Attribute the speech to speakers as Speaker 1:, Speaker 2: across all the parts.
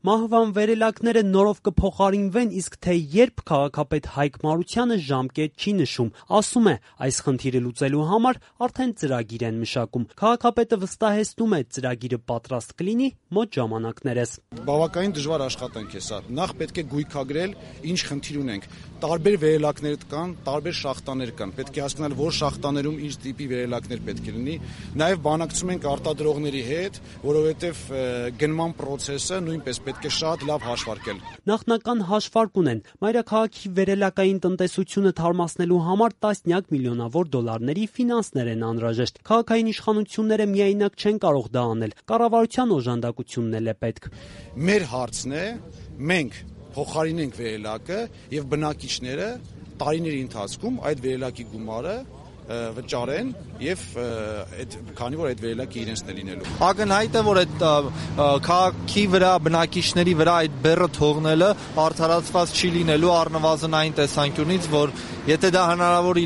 Speaker 1: Մահվան վերելակները նորով կփոխարինվեն, իսկ թե երբ քաղաքապետ Հայկ Մարությանը ժամկետ չի նշում, ասում է, այս խնդիրը լուծելու համար արդեն ծրագիր են մշակում։ Քաղաքապետը վստահեցնում է, ծրագիրը պատրաստ կլինի մոտ ժամանակներս։
Speaker 2: Բավականին դժվար աշխատանք է սա։ Նախ պետք է գույքագրել, ինչ խնդիր ունենք։ Տարբեր վերելակներ կան, տարբեր շախտաներ կան։ Պետք է հասկանալ, որ շախտաներում ինչ տիպի վերելակներ պետք է լինի։ Նաև բանակցում ենք արտադրողների հետ, որովհետև գնման process-ը նույնպես պետք է շատ լավ հաշվարկել։
Speaker 1: Նախնական հաշվարկ ունեն։ Մայրաքաղաքի վերելակային տնտեսությունը թարմացնելու համար տասնյակ միլիոնավոր դոլարների ֆինանսներ են անհրաժեշտ։ Քաղաքային իշխանությունները միայնակ չեն կարող դա անել։ Կառավարության օժանդակությունն էլ է պետք։
Speaker 2: Մեր հարցն է, մենք փոխարինենք վերելակը եւ բնակիչները տարիների ընթացքում այդ վերելակի գումարը վճարեն եւ քանի որ այդ վերելակը իրենցն է լինելու։
Speaker 3: Ակնհայտ է, որ այդ քաղաքի վրա բնակիչների վրա այդ բեռը թողնելը արդարացված չի լինելու առնվազն այն տեսանկյունից, որ եթե դա հնարավոր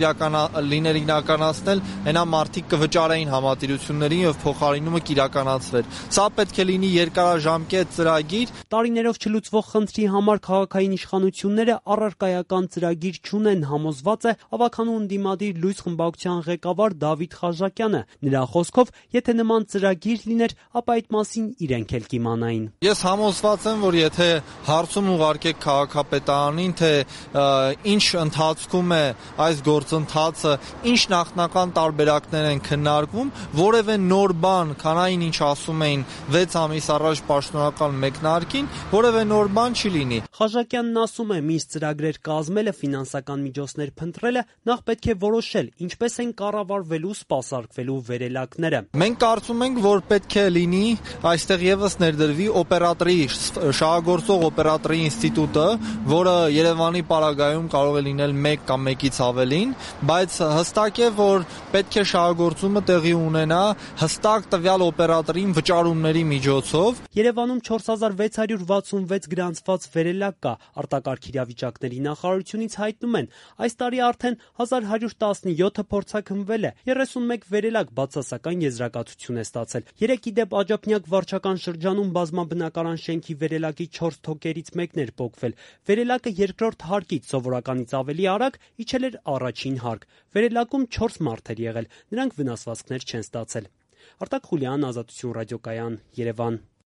Speaker 3: լիներ իրականացնել, այնա մարդիկ կվճարեին համատիրություններին եւ փոխարինումը կիրականացվեր։ Սա պետք է լինի երկարաժամկետ ծրագիր։
Speaker 1: Տարիներով չլուծվող խնդրի համար քաղաքային իշխանությունները առարկայական ծրագիր չունեն, համոզված է ավականու ընդդիմադիր լույս խմբակցության ղեկավար Դավիթ Խաժակյանը։ Նրա խոսքով, եթե նման ծրագիր լիներ, ապա այդ մասին իրենք էլ կիմանային։
Speaker 3: Ես համոզված եմ, որ եթե հարցում ուղարկեք քաղաքապետարանին, թե ինչ ընթացքում է այս գործընթացը, ինչ նախնական տարբերակներ են քննարկվում, որևէ նոր բան, քան այն ինչ ասում էին 6 ամիս առաջ պաշտոնական մեկնարկին, որևէ նոր բան չի լինի։
Speaker 1: Խաժակյանն ասում է, մինչ ծրագրեր կազմելը, ֆինանսական միջոցներ փնտրելը, նախ պետք է որոշել, ինչպես են կառավարվելու, սպասարկվելու վերելակները։
Speaker 3: Մենք կարծում ենք, որ պետք է լինի այստեղ եւս ներդրվի օպերատորի, շահագործող օպերատորի ինստիտուտը, որը Երևանի պարագայում կարող է լինել 1 կամ 1-ից ավելին, բայց հստակ է, որ պետք է շահագործումը տեղի ունենա հստակ տվյալ օպերատորին վճարումների միջոցով։
Speaker 1: Երևանում 4666 գրանցված վերելակ կա։ Արտակարգ իրավիճակների նախարարությունից հայտնում են, այս տարի արդեն 1117 փորձաքննվել է, 31 վերելակ բացասական եզրակացություն է ստացել։ 3 ի դեպ Աջափնյակ վարչական շրջանում բազմաբնակարան շենքի վերելակի 4 թոկերից մեկն էր պոկվել։ Վերելակը երկրորդ հարկից սովորականից ավելի արագ իջել էր առաջին հարկ։ Վերելակում 4 մարդ էր եղել, նրանք վնասվածքներ չեն ստացել։ Արտակ Խուլյան, Ազատություն ռադիոկայան, Երևան։